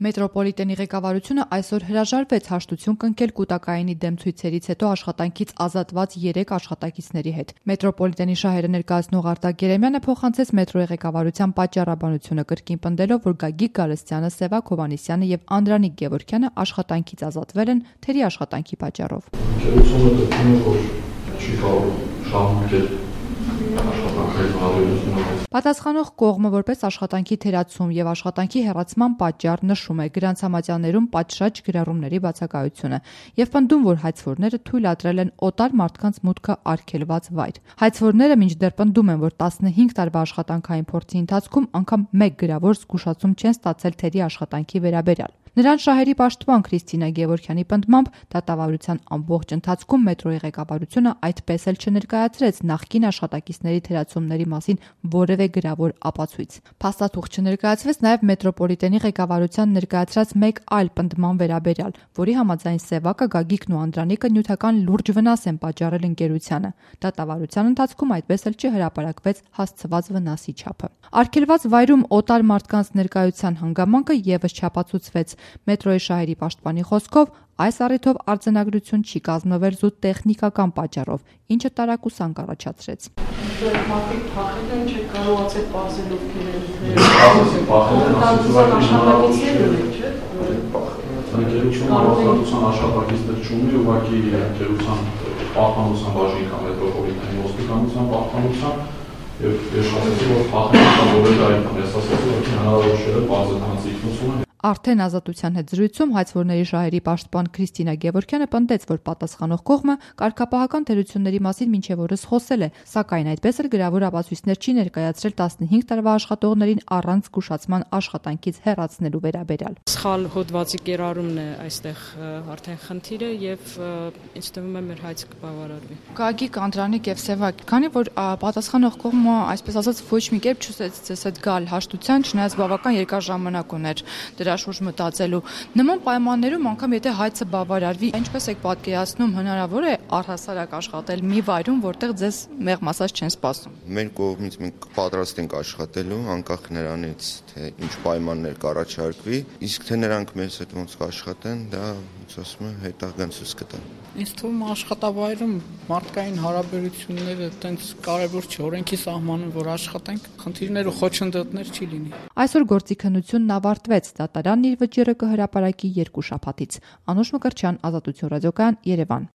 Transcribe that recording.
Մետրոպոլիտենի ղեկավարությունը այսօր հրաժարվեց հաշտություն կնքել կուտակայինի դեմ ցույցերից հետո աշխատանքից ազատված 3 աշխատակիցների հետ։ Մետրոպոլիտենի շահերը ներկայացնող Արտակ Երեմյանը փոխանցեց մետրոյի ղեկավարության պատճառաբանությունը կրկին պնդելով, որ Գագիկ Գալստյանը, Սևակ Հովհաննիսյանը եւ Անդրանիկ Գևորգյանը աշխատանքից ազատվել են թերի աշխատանքի պատճառով։ Պատասխանող կողմը որպես աշխատանքի թերացում եւ աշխատանքի հեռացման պատճառ նշում է գրանցամատյաններում պատշաճ գրառումների բացակայությունը եւ պնդում, որ հայցվորները թույլատրել են օտար մարդկանց մուտքը արգելված վայր։ Հայցվորները մինչդեռ պնդում են, որ 15 տարվա աշխատանքային փորձի ընթացքում անգամ մեկ գրավոր զգուշացում չեն ստացել թերի աշխատանքի վերաբերյալ։ Նրան շահերի պաշտպան Քրիստինա Գևորգյանի պնդմամբ դատավարության ամբողջ ընթացքում մետրոյի ղեկավարությունը այդպես էլ չներկայացրեց նախկին աշխատակիցների թերացումների մասին որևէ գրավոր ապացույց։ Փաստաթուղթ չներկայացվեց նաև մետրոպոլիտենի ղեկավարության ներկայացրած մեկ այլ պնդման վերաբերյալ, որի համաձայն Սևակը, Գագիկն ու Անդրանիկը նյութական լուրջ վնաս են պատճառել ընկերությանը։ Դատավարության ընթացքում այդպես էլ չհրապարակվեց հասցված վնասի չափը։ Արգելված վայրում օտար մարդկանց ներկայության հանգամանքը եւս չապացուցվեց։ Մետրոյի շահերի պաշտպանի խոսքով այս առիթով արձանագրություն չի կազմվել զուտ տեխնիկական պատճառով, ինչը տարակուսանք առաջացրեց։ Արդեն ազատության հետ զրույցում հայցվորների շահերի պաշտպան Քրիստինա Գևորգյանը պնդեց, որ պատասխանող կողմը կարգապահական թերությունների մասին մինչև օրս խոսել է, սակայն այդպես էլ գրավոր ապացույցներ չի ներկայացրել 15 տարվա աշխատողներին առանց զգուշացման աշխատանքից հեռացնելու վերաբերյալ։ Սխալ հոդվածի կերարումն է այստեղ արդեն խնդիրը եւ ինձ թվում է մեր հայցը կբավարարվի։ Գագիկ, Անդրանիկ եւ Սևակ, քանի որ պատասխանող կողմը այսպես ասած ոչ մի կերպ չուզեց ձեզ հետ գալ հաշտության, չնայած բավական երկար ժամանակ ուներ դրա շուրջ մտածելու։ Նման պայմաններում անգամ եթե հայցը բավարարվի, ինչպես եք պատկերացնում, հնարավոր է առհասարակ աշխատել մի վայրում, որտեղ ձեզ մեղմ ասած չեն սպասում։ Մեր կողմից մենք պատրաստ ենք աշխատելու, անկախ նրանից, թե ինչ պայմաններ կառաջարկվի, իսկ թե նրանք մեզ հետ ոնց կաշխատեն, դա ոնց ասում եմ, հետագան ցույց կտա։ Ինձ թվում է աշխատավայրում մարդկային հարաբերությունները այտենց կարևոր չէ, օրենքի սահմանում որ աշխատենք, խնդիրներ ու խոչընդոտներ չի լինի։ Այսօր գործի քննությունն ավարտվեց, դատարանն իր վճիռը կհրապարակի 2 շաբաթից։ Անուշ Մկրտչյան, Ազատություն ռադիոկայան, Երևան։